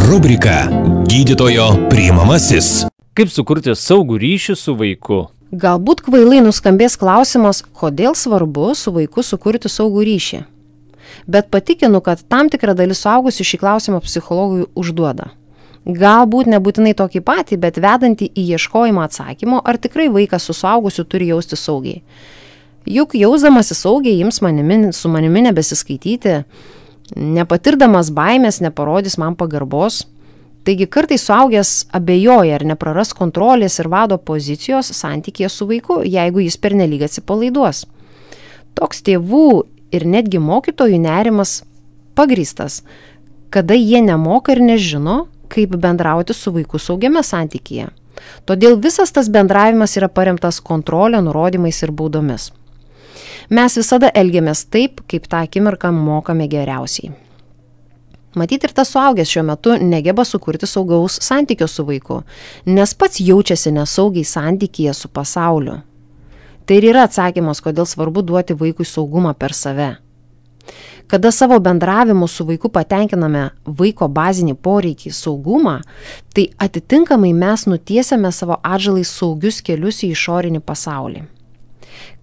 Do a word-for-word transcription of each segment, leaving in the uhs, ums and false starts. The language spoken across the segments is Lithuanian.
Rubrika Gydytojo priimamasis. Kaip sukurti saugų ryšį su vaiku? Galbūt kvailai nuskambės klausimas, kodėl svarbu su vaiku sukurti saugų ryšį. Bet patikinu, kad tam tikra dalis suaugusių šį klausimą psichologui užduoda. Galbūt nebūtinai tokį patį, bet vedantį į ieškojimą atsakymo, ar tikrai vaikas su suaugusiu turi jausti saugiai. Juk jausdamasi saugiai ims manimi, su manimi nebesiskaityti, nepatirdamas baimės, neparodys man pagarbos. Taigi kartais suaugęs abejoja ar nepraras kontrolės ir vado pozicijos santykėje su vaiku, jeigu jis pernelyg atsipalaiduos. Toks tėvų ir netgi mokytojų nerimas pagrįstas, kada jie nemoka ir nežino, kaip bendrauti su vaiku saugiame santykyje. Todėl visas tas bendravimas yra paremtas kontrolė, nurodymais ir baudomis. Mes visada elgiamės taip, kaip tą akimirką mokame geriausiai. Matyt, ir tas suaugęs šiuo metu negeba sukurti saugaus santykio su vaiku, nes pats jaučiasi nesaugiai santykyje su pasauliu. Tai ir yra atsakymas, kodėl svarbu duoti vaikui saugumą per save. Kada savo bendravimu su vaiku patenkiname vaiko bazinį poreikį saugumą, tai atitinkamai mes nutiesiame savo atžalai saugius kelius į išorinį pasaulį.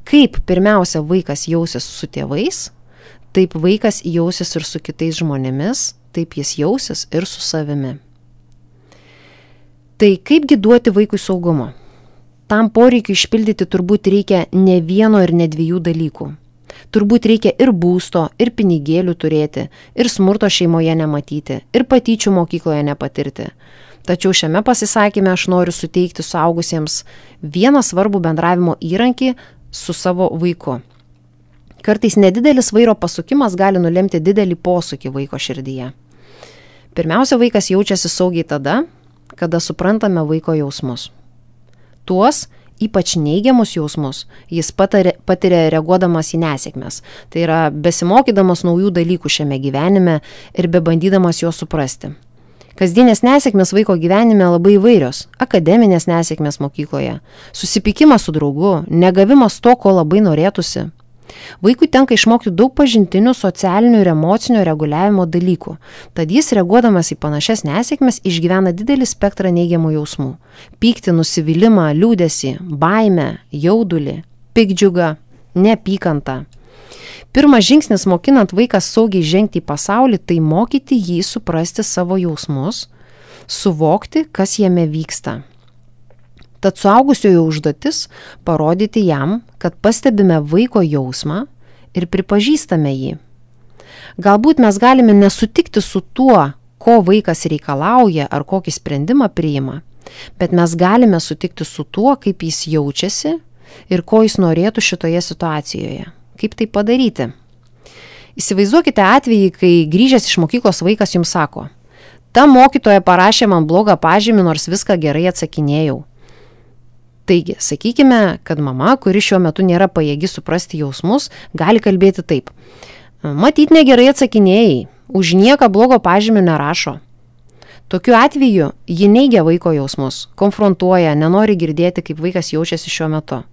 Kaip pirmiausia vaikas jausis su tėvais, taip vaikas jausis ir su kitais žmonėmis, taip jis jausis ir su savimi. Tai kaipgi duoti vaikui saugumo? Tam poreikiu išpildyti turbūt reikia ne vieno ir ne dviejų dalykų. Turbūt reikia ir būsto, ir pinigėlių turėti, ir smurto šeimoje nematyti, ir patyčių mokykloje nepatirti. Tačiau šiame pasisakyme aš noriu suteikti suaugusiems vieną svarbų bendravimo įrankį su savo vaiku. Kartais nedidelis vairo pasukimas gali nulemti didelį posūkį vaiko širdyje. Pirmiausia, vaikas jaučiasi saugiai tada, kada suprantame vaiko jausmus. Tuos ypač neigiamus jausmus jis patiria, patiria reaguodamas į nesėkmes. Tai yra besimokydamas naujų dalykų šiame gyvenime ir bebandydamas juos suprasti. Kasdienės nesėkmės vaiko gyvenime labai įvairios. Akademinės nesėkmės mokykloje, susipykimas su draugu, negavimas to, ko labai norėtųsi. Vaikui tenka išmokti daug pažintinių, socialinių ir emocinio reguliavimo dalykų. Tad jis, reaguodamas į panašias nesėkmes, išgyvena didelį spektrą neigiamų jausmų. Pyktį, nusivylimą, liūdesį, baimę, jaudulį, piktdžiugą, neapykantą. Pirmas žingsnis mokinant vaiką saugiai žengti į pasaulį, tai mokyti jį suprasti savo jausmus, suvokti, kas jame vyksta. Tad suaugusiojo užduotis parodyti jam, kad pastebime vaiko jausmą ir pripažįstame jį. Galbūt mes galime nesutikti su tuo, ko vaikas reikalauja ar kokį sprendimą priima, bet mes galime sutikti su tuo, kaip jis jaučiasi ir ko jis norėtų šitoje situacijoje. Kaip tai padaryti? Įsivaizduokite atvejį, kai grįžęs iš mokyklos vaikas jums sako: ta mokytoja parašė man blogą pažymį, nors viską gerai atsakinėjau. Taigi, sakykime, kad mama, kuri šiuo metu nėra pajėgi suprasti jausmus, gali kalbėti taip: matyt, negerai atsakinėjai, už nieką blogo pažymio nerašo. Tokiu atveju ji neigia vaiko jausmus, konfrontuoja, nenori girdėti, kaip vaikas jaučiasi šiuo metu.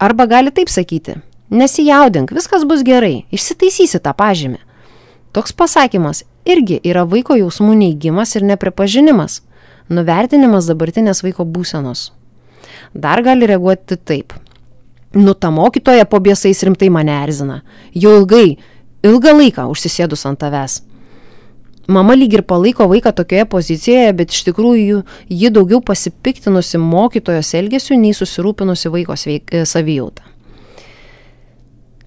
Arba gali taip sakyti: nesijaudink, viskas bus gerai, išsitaisysi tą pažymį. Toks pasakymas irgi yra vaiko jausmų neigimas ir nepripažinimas, nuvertinimas dabartinės vaiko būsenos. Dar gali reaguoti taip: nu, ta mokytoja po biesais rimtai mane erzina, jau ilgai, ilgą laiką užsisėdus ant tavęs. Mama lyg ir palaiko vaiką tokioje pozicijoje, bet iš tikrųjų ji daugiau pasipiktinusi mokytojos elgesiu, nei susirūpinusi vaiko sveik, savijautą.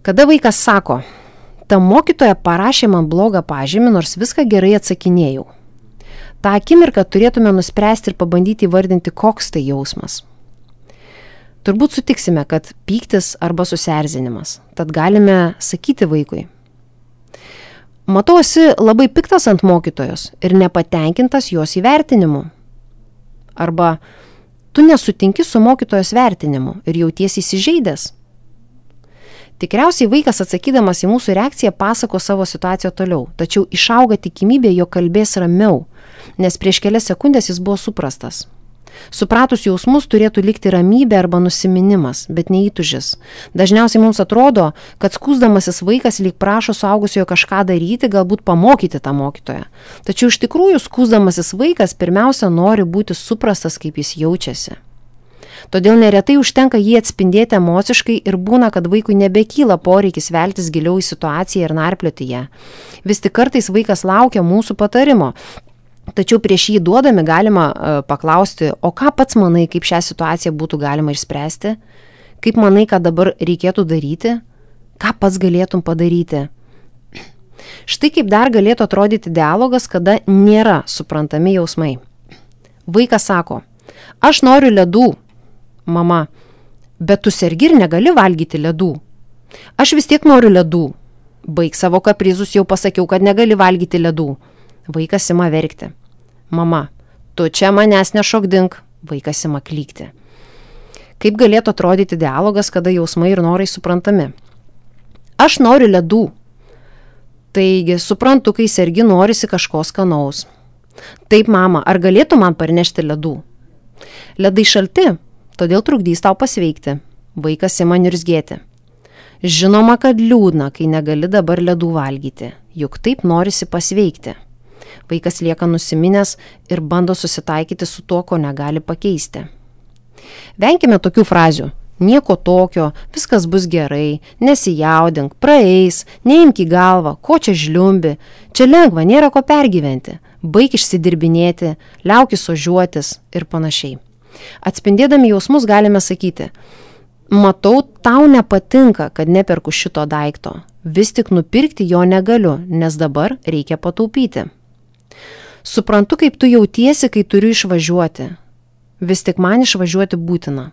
Kada vaikas sako: ta mokytoja parašė man blogą pažymį, nors viską gerai atsakinėjau. tą akimirką turėtume nuspręsti ir pabandyti įvardinti, koks tai jausmas. Turbūt sutiksime, kad pyktis arba susierzinimas, tad galime sakyti vaikui: matau, esi labai piktas ant mokytojos ir nepatenkintas jos įvertinimu. Arba tu nesutinki su mokytojos vertinimu ir jautiesi įsižeidęs. Tikriausiai vaikas atsakydamas į mūsų reakciją pasako savo situaciją toliau, tačiau išauga tikimybė, jog kalbės ramiau, nes prieš kelias sekundės jis buvo suprastas. Supratus jausmus turėtų likti ramybė arba nusiminimas, bet neįtužis. Dažniausiai mums atrodo, kad skųsdamasis vaikas lyg prašo suaugusiojo kažką daryti, galbūt pamokyti tą mokytoją. Tačiau iš tikrųjų skųsdamasis vaikas pirmiausia nori būti suprastas, kaip jis jaučiasi. Todėl neretai užtenka jį atspindėti emociškai ir būna, kad vaikui nebekyla poreikis veltis giliau į situaciją ir narplioti ją. Vis tik kartais vaikas laukia mūsų patarimo. Tačiau prieš jį duodami galima uh, paklausti, o ką pats manai, kaip šią situaciją būtų galima išspręsti? Kaip manai, ką dabar reikėtų daryti? Ką pats galėtum padaryti? Štai kaip dar galėtų atrodyti dialogas, kada nėra suprantami jausmai. Vaikas sako, aš noriu ledų. Mama, bet tu sergi ir negali valgyti ledų. Aš vis tiek noriu ledų. Baik savo kaprizus, jau pasakiau, kad negali valgyti ledų. Vaikas ima verkti. Mama, tu čia manęs nešokdink. Vaikas ima klykti. Kaip galėtų atrodyti dialogas, kada jausmai ir norai suprantami? Aš noriu ledų. Taigi, suprantu, kai sergi norisi kažko skanaus. Taip, mama, ar galėtų man parnešti ledų? Ledai šalti, todėl trukdys tau pasveikti. Vaikas ima niurzgėti. Žinoma, kad liūdna, kai negali dabar ledų valgyti, juk taip norisi pasveikti. Vaikas lieka nusiminęs ir bando susitaikyti su tuo, ko negali pakeisti. Venkime tokių frazių. Nieko tokio, viskas bus gerai, nesijaudink, praeis, neimk į galvą, ko čia žliumbi, čia lengva, nėra ko pergyventi, baik išsidirbinėti, liaukis ožiuotis ir panašiai. Atspindėdami jausmus galime sakyti, matau, tau nepatinka, kad neperku šito daikto, vis tik nupirkti jo negaliu, nes dabar reikia pataupyti. Suprantu, kaip tu jautiesi, kai turiu išvažiuoti, vis tik man išvažiuoti būtina.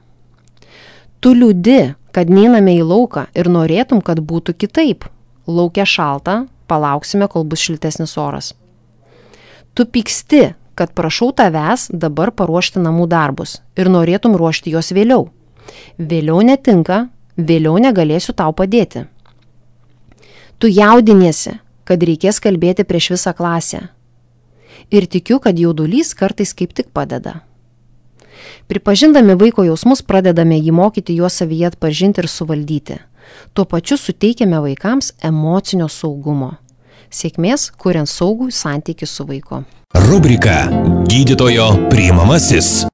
Tu liūdi, kad neiname į lauką ir norėtum, kad būtų kitaip. Laukia šalta, palauksime, kol bus šiltesnis oras. Tu pyksti, kad prašau tavęs dabar paruošti namų darbus ir norėtum ruošti juos vėliau. Vėliau netinka, vėliau negalėsiu tau padėti. Tu jaudiniesi, kad reikės kalbėti prieš visą klasę. Ir tikiu, kad jaudulys kartais kaip tik padeda. Pripažindami vaiko jausmus pradedame jį mokyti juos savyje atpažinti ir suvaldyti. Tuo pačiu suteikiame vaikams emocinio saugumo. Sėkmės, kuriant saugų santykį su vaiku. Rubrika Gydytojo priimamasis.